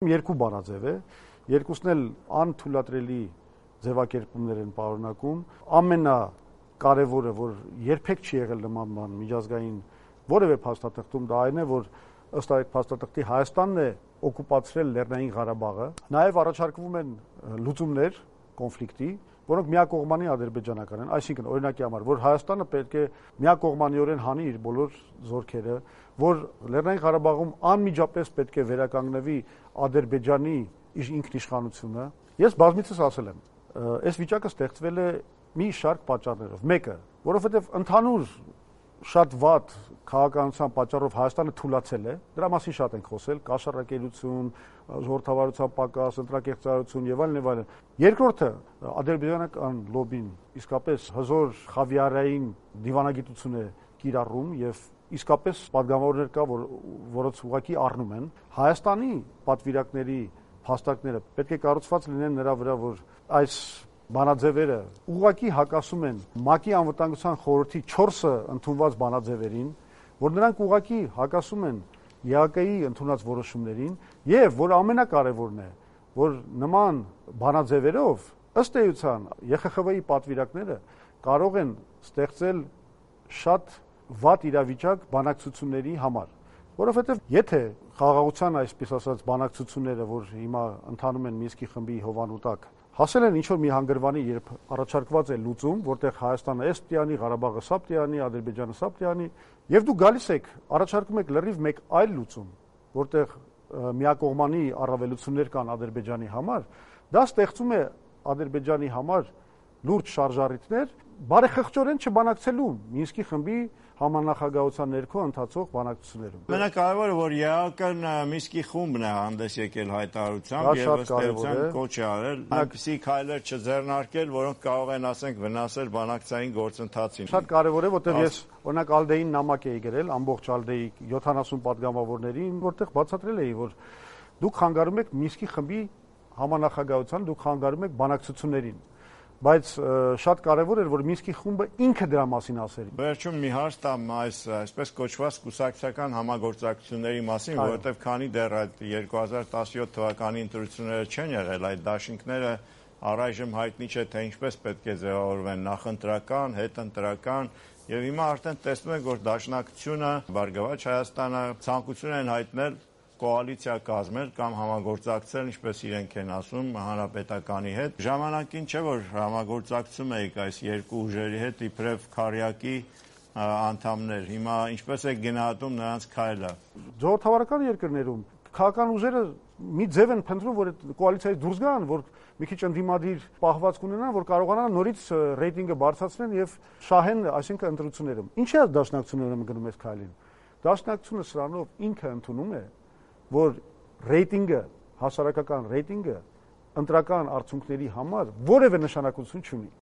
Երկու բանաձև է, երկուսն էլ անթույլատրելի ձևակերպումներ են պարունակում, ամենակարևորը, որ երբեք չի եղել նման բան միջազգային որևէ փաստաթղթում, դա այն է, որ ըստ այդ փաստաթղթի Հայաստանն է օկուպացրել Լեռնային Ղարաբաղը, նաև առաջարկվում են լուծումներ կոնֆլիկտի, որոնք միակողմանի ադրբեջանական են, այսինքն օրինակի համար, որ Հայաստանը պետք է միակողմանիորեն հանի իր բոլոր զորքերը, որ Լեռնային Ղարաբաղում անմիջապես պետք է վերականգնվի Ադրբեջանի ինքնիշխանությունը։ Ես բազմիցս ասել եմ, այս վիճակը ստեղծվել է մի շարք պատճառներով։ Մեկը, որովհետև ընդհանուր շատ վատ քաղաքականության պատճառով Հայաստանը թուլացել է, դրա մասին շատ ենք խոսել, կաշառակերություն, ժողովրդավարության պակաս, ընտրակեղծարարություն եւ այլն եւ այլն։ Երկրորդը, ադրբեջանական լոբին իսկապես հզոր խավիարային դիվանագիտություն է կիրառում եւ իսկապես պատգամավորներ կա, որոնց ուղղակի առնում են Հայաստանի պատվիրակների փաստարկները պետք է կառուցված լինեն նրա վրա, որ այս բանաձևերը ուղղակի հակասում են ՄԱԿ-ի անվտանգության խորհրդի 4 ընդունված բանաձևերին, որ նրանք ուղղակի հակասում են ԵԱԿ-ի ընդունած որոշումներին եւ որ ամենակարևորն է, որ նման բանաձևերով ըստ էության ԵԽԽՎ-ի պատվիրակները կարող են ստեղծել շատ վատ իրավիճակ բանակցությունների համար, որովհետեւ եթե խաղաղության այսպես ասած բանակցությունները, որ հիմա ընթանում են Մինսկի խմբի հովանու տակ, հասել են ինչ-որ մի հանգրվանի, երբ առաջարկված է լուծում, որտեղ Հայաստանը էս պիտի, Ղարաբաղը սա պիտի, Ադրբեջանը սա պիտի, եւ դուք գալիս եք, առաջարկում եք լրիվ մեկ այլ լուծում, որտեղ միակողմանի առավելություններ կան Ադրբեջանի համար, դա ստեղծում է Ադրբեջանի համար լուրջ շարժառիթներ բարեխղճորեն չբանակցելու Մինսկի խմբի համանախագահության ներքո ընթացող բանակցություններում։ Ամենակարևորը, որ ԵԱԿ-ն Մինսկի խումբն է հանդես եկել հայտարարությամբ եւ ըստ էության կոչ է արել այնպիսի քայլեր չձեռնարկել, որոնք կարող են, ասենք, վնասել բանակցային գործընթացին։ Շատ կարևոր է, որտեղ ես օրինակ Ալդեին նամակ էի գրել, ամբողջ Ալդեի 70 պատգամավորներին, որտեղ բացատրել էի, որ դուք խանգարում եք Մինսկի խմբի համանախագահության, դուք խանգարում եք բանակցություններին։ Բայց շատ կարևոր էր, որ Մինսկի խումբը ինքը դրա մասին ասեր։ Վերջում մի հարց տամ այս այսպես կոչված կուսակցական համագործակցությունների մասին, որովհետև քանի դեռ այդ 2017 թվականի ընտրությունները չեն եղել, այդ դաշինքները առայժմ հայտնի չէ, թե ինչպես պետք է ձևավորվեն նախընտրական, հետընտրական, եւ հիմա արդեն տեսնում ենք, որ Դաշնակցությունը, Բարգավաճ Հայաստանը ցանկություն են հայտնել կոալիցիա կազմել կամ համագործակցել, ինչպես իրենք են ասում, հանրապետականի հետ։ Ժամանակին չէ, որ համագործակցում եք այս երկու ուժերի հետ իբրև քարյակի անդամներ։ Հիմա ինչպես է գնահատում նրանց քայլը։ Ժողովրդավարական երկրներում քաղաքական ուժերը մի ձև են փնտրում, որ այդ կոալիցիայից դուրս գան, որ մի քիչ ընդդիմադիր պահվածք ունենան, որ կարողանան նորից ռեյտինգը բարձրացնեն եւ շահեն, այսինքն ընտրություններում։ Ինչի՞ է Դաշնակցությունը գնում այս քայլին։ Դաշնակցությունը սրանով ինքը ընդունում է, որ ռեյտինգը, հասարակական ռեյտինգը ընտրական արդյունքների համար որևէ նշանակություն չունի։